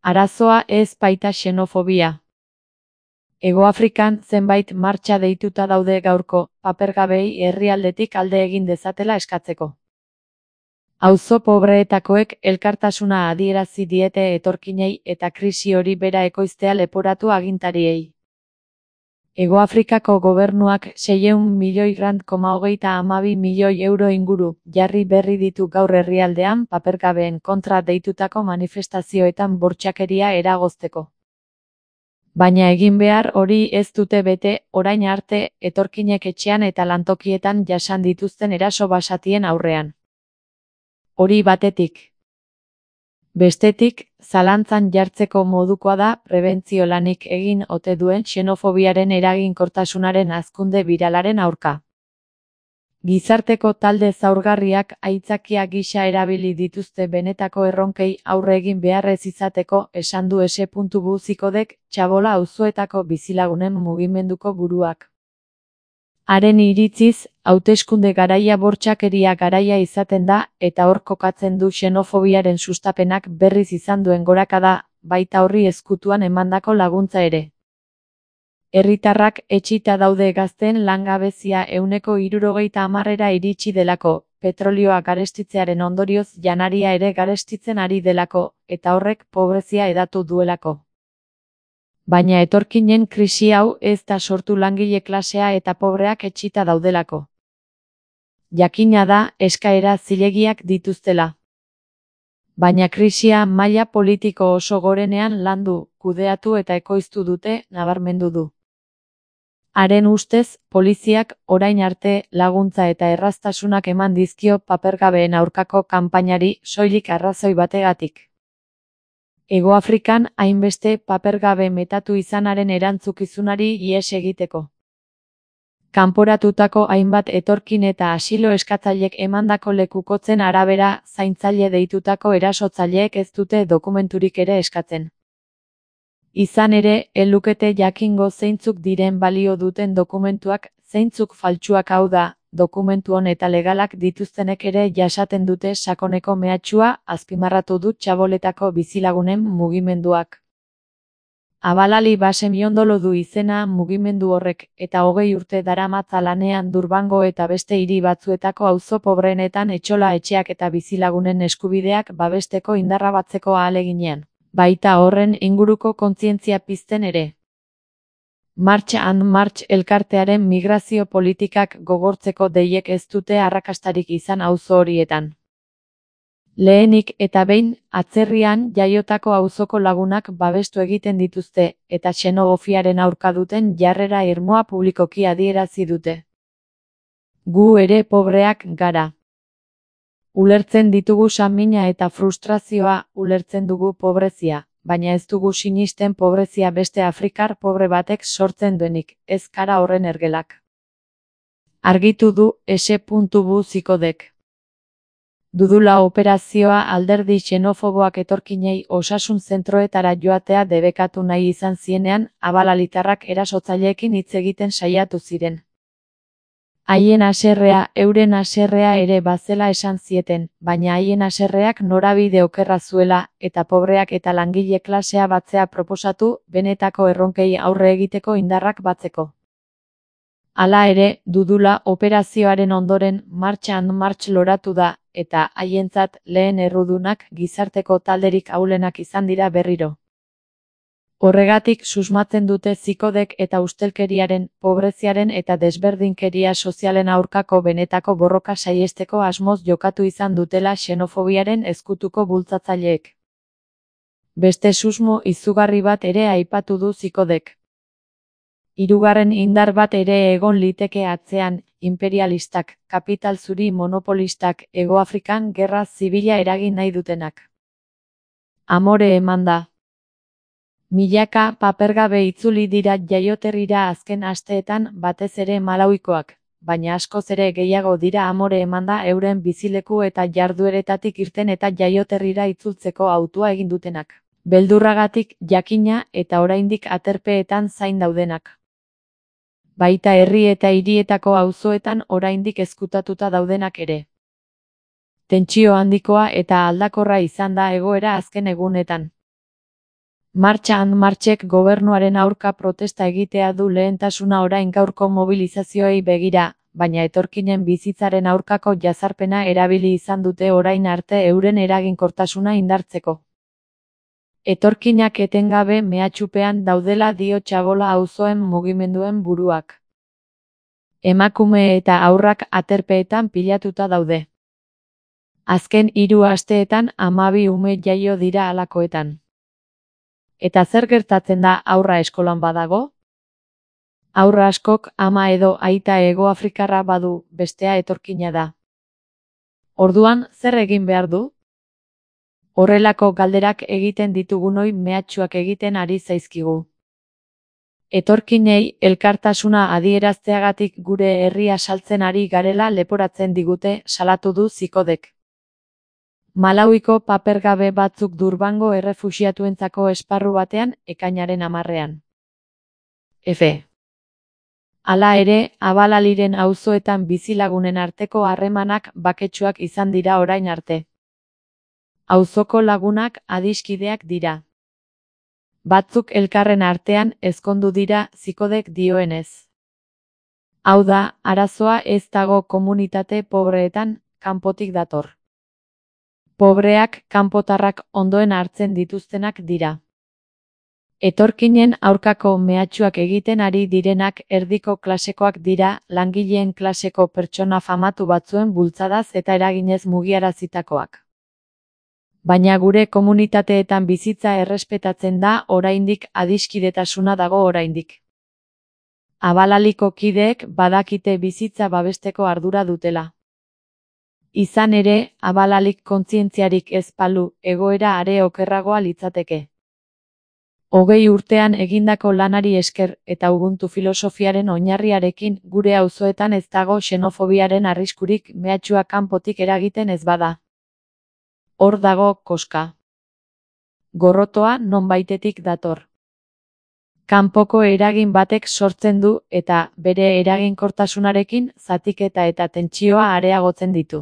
Arazoa ez baita xenofobia. Hegoafrikan zenbait martxa deituta daude gaurko, papergabeei herrialdetik alde egin dezatela eskatzeko. Auzo pobreetakoek elkartasuna adierazi diete etorkinei eta krisi hori bera ekoiztea leporatu agintariei. Hegoafrikako gobernuak 600 milioi rand,32 milioi euro inguru jarri berri ditu gaur herrialdean papergabeen kontra deitutako manifestazioetan bortxakeria eragozteko. Baina egin behar hori ez dute bete, orain arte, etorkinek etxean eta lantokietan jasan dituzten eraso basatien aurrean. Hori batetik. Bestetik, zalantzan jartzeko modukoa da prebentzio lanik egin ote duen xenofobiaren eraginkortasunaren hazkunde biralaren aurka. Gizarteko talde zaurgarriak aitzakia gisa erabili dituzte benetako erronkei aurre egin beharrez izateko, esan du S.Bu Zikodek, Txabola auzoetako bizilagunen mugimenduko buruak. Haren iritziz, hauteskunde garaia bortxakeria garaia izaten da, eta hor kokatzen du xenofobiaren sustapenak berriz izan duen gorakada, baita horri ezkutuan emandako laguntza ere. Herritarrak etxita daude gazteen langabezia 60%ra iritsi delako, petrolioa garestitzearen ondorioz janaria ere garestitzen ari delako, eta horrek pobrezia hedatu duelako. Baina etorkinen krisi hau ez da sortu langile klasea eta pobreak etxita daudelako. Jakina da, eskaera zilegiak dituztela. Baina krisia maila politiko oso gorenean landu, kudeatu eta ekoiztu dute, nabarmendu du. Haren ustez, poliziak orain arte laguntza eta erraztasunak eman dizkio papergabeen aurkako kanpainari soilik arrazoi bategatik. Hegoafrikan hainbeste papergabe metatu izanaren erantzukizunari ihes egiteko. Kanporatutako hainbat etorkin eta asilo eskatzailek emandako lekukotzen arabera zaintzaile deitutako erasotzaileek ez dute dokumenturik ere eskatzen. Izan ere, ez lukete jakingo zeintzuk diren balio duten dokumentuak, zeintzuk faltsuak hau da, dokumentu on eta legalak dituztenek ere jasaten dute sakoneko mehatxua, azpimarratu du Txaboletako bizilagunen mugimenduak. Abalali Basemiondolo du izena mugimendu horrek, eta 20 urte daramatza lanean Durbango eta beste hiri batzuetako auzo pobreenetan etxola etxeak eta bizilagunen eskubideak babesteko indarra batzeko ahaleginean, baita horren inguruko kontzientzia pizten ere. March and March elkartearen migrazio politikak gogortzeko deiek ez dute arrakastarik izan auzo horietan. Lehenik eta behin, atzerrian jaiotako auzoko lagunak babestu egiten dituzte, eta xenofobiaren aurka duten jarrera irmoa publikoki adierazi dute. Gu ere pobreak gara. Ulertzen ditugu samina eta frustrazioa, ulertzen dugu pobrezia. Baina ez dugu sinisten pobrezia beste afrikar pobre batek sortzen duenik, ez kara horren ergelak. Argitu du S.Bu Zikodek. Dudula operazioa alderdi xenofoboak etorkinei osasun zentroetara joatea debekatu nahi izan zienean, abalalitarrak erasotzaileekin hitz egiten saiatu ziren. Haien haserrea, euren haserrea ere bazela esan zieten, baina haien haserreak norabide okerra zuela, eta pobreak eta langile klasea batzea proposatu, benetako erronkei aurre egiteko indarrak batzeko. Hala ere, Dudula operazioaren ondoren March and March loratu da, eta haientzat lehen errudunak gizarteko talderik ahulenak izan dira berriro. Horregatik susmatzen dute Zikodek eta ustelkeriaren, pobreziaren eta desberdinkeria sozialen aurkako benetako borroka saihesteko asmoz jokatu izan dutela xenofobiaren ezkutuko bultzatzaileek. Beste susmo izugarri bat ere aipatu du Zikodek. Hirugarren indar bat ere egon liteke atzean, imperialistak, kapital zuri monopolistak, Hegoafrikan gerra zibila eragin nahi dutenak. Amore eman da. Milaka papergabe itzuli dira jaioterrira azken asteetan batez ere Malawikoak, baina askoz ere gehiago dira amore emanda euren bizileku eta jardueretatik irten eta jaioterrira itzultzeko hautua egin dutenak. Beldurragatik, jakina eta oraindik aterpeetan zain daudenak. Baita herri eta hirietako auzoetan oraindik ezkutatuta daudenak ere. Tentsio handikoa eta aldakorra izan da egoera azken egunetan. Martxa and Martxek gobernuaren aurka protesta egitea du lehentasuna orain gaurko mobilizazioei begira, baina etorkinen bizitzaren aurkako jazarpena erabili izan dute orain arte euren eraginkortasuna indartzeko. Etorkinak etengabe mehatxupean daudela dio Txabola auzoen mugimenduen buruak. Emakume eta haurrak aterpeetan pilatuta daude. Azken 3 asteetan 12 ume jaio dira halakoetan. Eta zer gertatzen da haurra eskolan badago? Haurra askok ama edo aita Hegoafrikarra badu, bestea etorkina da. Orduan, zer egin behar du? Horrelako galderak egiten ditugunoi mehatxuak egiten ari zaizkigu. Etorkinei elkartasuna adierazteagatik gure herria saltzen ari garela leporatzen digute, salatu du Zikodek. Malawiko papergabe batzuk Durbango errefuxiatuentzako esparru batean ekainaren 10ean. F. Hala ere, Abalaliren auzoetan bizilagunen arteko harremanak baketsuak izan dira orain arte. Auzoko lagunak adiskideak dira. Batzuk elkarren artean ezkondu dira Zikodek dioenez. Hau da, arazoa ez dago komunitate pobreetan, kanpotik dator. Pobreak, kanpotarrak ondoen hartzen dituztenak dira. Etorkinen aurkako mehatxuak egiten ari direnak erdiko klasekoak dira, langileen klaseko pertsona famatu batzuen bultzadaz eta eraginez mugiarazitakoak. Baina gure komunitateetan bizitza errespetatzen da oraindik adiskidetasuna dago oraindik. Abalaliko kideek badakite bizitza babesteko ardura dutela. Izan ere, Abalalik kontzientziarik ez balu, egoera are okerragoa litzateke. 20 urtean egindako lanari esker eta Ubuntu filosofiaren oinarriarekin gure auzoetan ez dago xenofobiaren arriskurik mehatxua kanpotik eragiten ez bada. Hor dago koska. Gorrotoa nonbaitetik dator. Kanpoko eragin batek sortzen du eta bere eraginkortasunarekin zatiketa eta tentsioa areagotzen ditu.